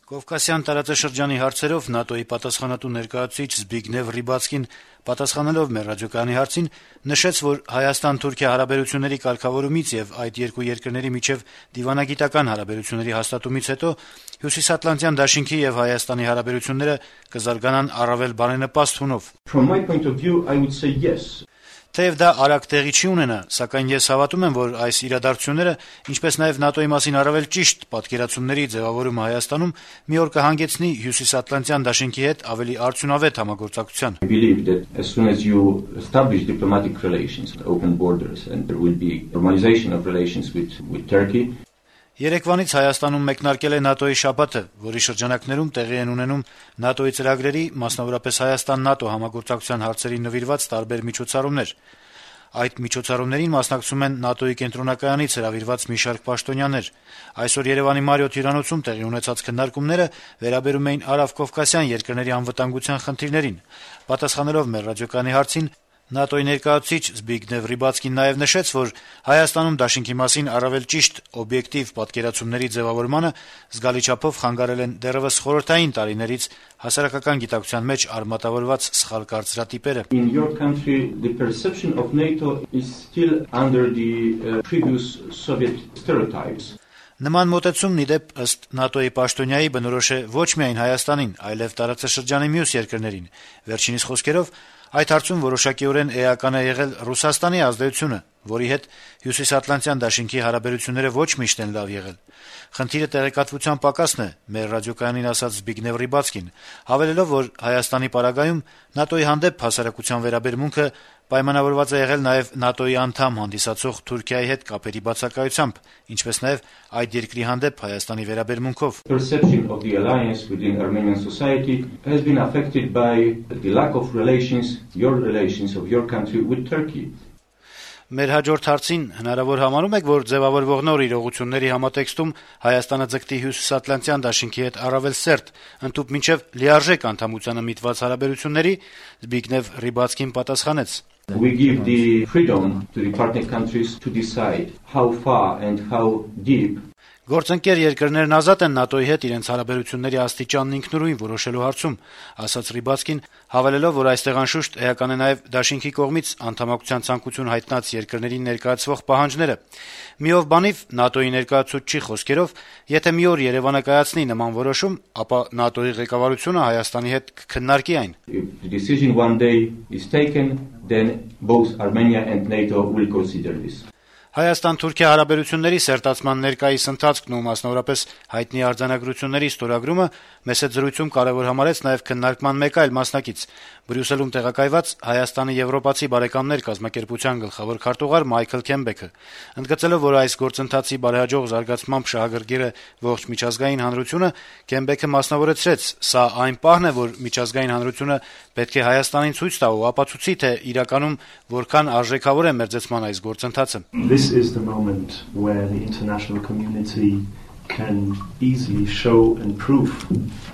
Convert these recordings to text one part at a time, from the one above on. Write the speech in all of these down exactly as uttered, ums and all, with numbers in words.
Կովկասյան տարածաշրջանի հարցերով ՆԱՏՕ-ի պատասխանատու ներկայացուցիչ Զբիգնև Ռիբացկին պատասխանելով մեր ռադիոկայանի հարցին նշեց, որ Հայաստան-Թուրքիա հարաբերությունների կարգավորումից եւ այդ երկու երկրների միջեւ դիվանագիտական հարաբերությունների հաստատումից հետո Հյուսիսատլանտյան դաշինքի եւ Հայաստանի հարաբերությունները կզարգանան առավել բարենպաստ հունով. From my point of view, I would say yes. Թեև դա արագ տեղի չի ունենա, սակայն ես հավատում եմ, որ այս իրադարձությունները, ինչպես նաև ՆԱՏՕ-ի մասին առավել ճիշտ պատկերացումների ձևավորումը Հայաստանում մի օր կհանգեցնի Հյուսիսատլանտյան դաշինքի հետ ավելի արդյունավետ համագործակցության։ I believe that as soon as you establish diplomatic relations, open borders, and there will be normalization of relations with with Turkey. Երեկվանից Հայաստանում մեկնարկել է ՆԱՏՕ-ի շաբաթը, որի շրջանակներում տեղի են ունենում ՆԱՏՕ-ի ծրագրերի, մասնավորապես Հայաստան-ՆԱՏՕ համագործակցության հարցերին նվիրված տարբեր միջոցառումներ։ Այդ միջոցառումներին մասնակցում են ՆԱՏՕ-ի կենտրոնակայանից հրավիրված մի շարք պաշտոնյաներ։ Այսօր Երևանի Մարիոթ հյուրանոցում տեղի ունեցած քննարկումները վերաբերում էին արևկովկասյան երկրների անվտանգության խնդիրներին։ Պատասխանելով մեր ռադիոկայանի հարցին, ՆԱՏՕ-ի ներկայացուցիչ Զբիգնև Ռիբացկին նաև նշեց, որ Հայաստանում դաշինքի մասին առավել ճիշտ օբյեկտիվ պատկերացումների ձևավորմանը զգալի չափով խանգարել են դեռևս խորհրդային տարիներից հասարակական գիտակցության մեջ արմատավորված սխալ կարծրատիպերը։ In your country, the perception of NATO is still under the uh, previous Soviet stereotypes. Նման մոտեցումն ի դեպ ըստ ՆԱՏՕ-ի պաշտոնյայի բնորոշ է ոչ միայն Հայաստանին, այլև տարածաշրջանի մյուս երկրներին։ Վերջինիս խոսքերով այդ հարցում որոշակիորեն էական է եղել Ռուսաստանի ազդեցությունը, որի հետ Հյուսիսատլանտյան դաշինքի հարաբերությունները ոչ միշտ են լավ եղել։ Խնդիրը տեղեկատվության պակասն է, մեր ռադիոկայանին ասաց Զբիգնև Ռիբացկին, հավելելով, որ Հայաստանի պարագայում ՆԱՏՕ-ի հանդեպ հասարակության վերաբերմունքը պայմանավորված է եղել նաև ՆԱՏՕ-ի անդամ հանդիսացող Թուրքիայի հետ կապերի բացակայությամբ, ինչպես նաև այդ երկրի հանդեպ Հայաստանի վերաբերմունքով։ Perception of the alliance within Armenian society has been affected by the lack of relations, your relations of your country with Turkey. Մեր հաջորդ հարցին հնարավոր համարում եք, որ ձևավորվող նոր իրողությունների համատեքստում Հայաստանը ձգտի Հյուսիսատլանտյան դաշինքի հետ առավել սերտ, ընդཐུպ մինչև լիարժեք անդամությանը միտված հարաբերությունների, Զբիգնև Ռիբացկին պատասխանեց. We give the freedom to the partner countries to decide how far and how deep. Գործընկեր երկրներն ազատ են ՆԱՏՕ-ի հետ իրենց հարաբերությունների աստիճանն ինքնուրույն որոշելու հարցում, ասաց Ռիբացկին, հավելելով, որ այստեղ անշուշտ էական է նաև դաշինքի կողմից անդամակցության ցանկություն հայտնած երկրներին ներկայացվող պահանջները։ Միով բանիվ ՆԱՏՕ-ի ներկայացուցչի խոսքերով, եթե մի օր Երևանը կայացնի նման որոշում, ապա ՆԱՏՕ-ի ղեկավարությունը Հայաստանի հետ կքննարկի այն։ If the decision one day is taken, then both Armenia and NATO will consider this. Հայաստան-Թուրքիա հարաբերությունների սերտացման ներկայիս ընթացքն ու մասնավորապես հայտնի արձանագրությունների ստորագրումը մեծ զրույցում կարևոր համարեց նաև քննարկման մեկ այլ մասնակից՝ Բրյուսելում տեղակայված Հայաստանի եվրոպացի բարեկամներ կազմակերպության գլխավոր քարտուղար Մայքլ Քեմբեքը, ընդգծելով, որ այս գործընթացի բարեհաջող զարգացմամբ շահագրգիռ է ողջ միջազգային հանրությունը, Քեմբեքը մասնավորեցրեց. «Սա այն պահն է, որ միջազգային հանրությունը պետք է Հայաստանին ցույց տա ու ապացուցի, թե իրականում որքան արժեքավոր է մերձեցման այս գործընթացը»։ This is the moment where the international community can easily show and prove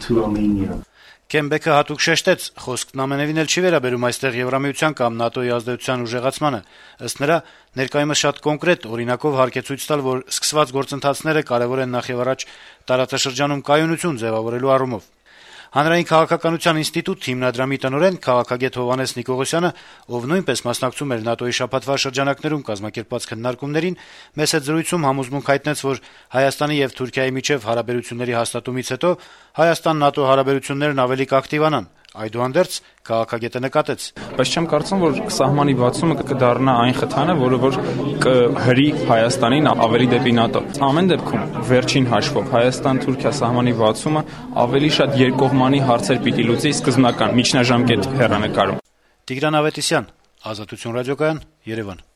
to Armenia. Քեմբեքը հատուկ շեշտեց, խոսքն ամենևին էլ չի վերաբերում այստեղ Եվրամիության կամ ՆԱՏՕ-ի ազդեցության ուժեղացմանը։ Ըստ նրա, ներկայումս շատ կոնկրետ օրինակով հարկ է ցույց տալ, որ սկսված գործընթացները կարևոր են նախևառաջ տարածաշրջանում կայունություն ձևավորելու առումով։ Հանրային քաղաքականության ինստիտուտ հիմնադրամի տնօրեն քաղաքագետ Հովհաննես Նիկողոսյանը, ով նույնպես մասնակցում էր ՆԱՏՕ-ի շաբաթվա շրջանակներում կազմակերպված քննարկումներին, մեծ զրույցում համոզմունք հայտնեց, որ Հայաստանի եւ Թուրքիայի միջեւ հարաբերությունների հաստատումից հետո Հայաստան-ՆԱՏՕ հարաբերություններն ավելի կակտիվանան։ Այդուհանդերձ քաղաքագետը նկատեց. Բայց չեմ կարծում, որ սահմանի բացումը կդառնա այն խթանը, որը որ կհրի Հայաստանին ավելի դեպի ՆԱՏՕ։ Ամեն դեպքում վերջին հաշվով Հայաստան-Թուրքիա սահմանի բացումը ավելի շատ երկկողմանի հարցեր պիտի լուծի սկզբնական միջնաժամկետ հեռանկարում։ Տիգրան Ավետիսյան, Ազատություն ռադիոկայան, Երևան։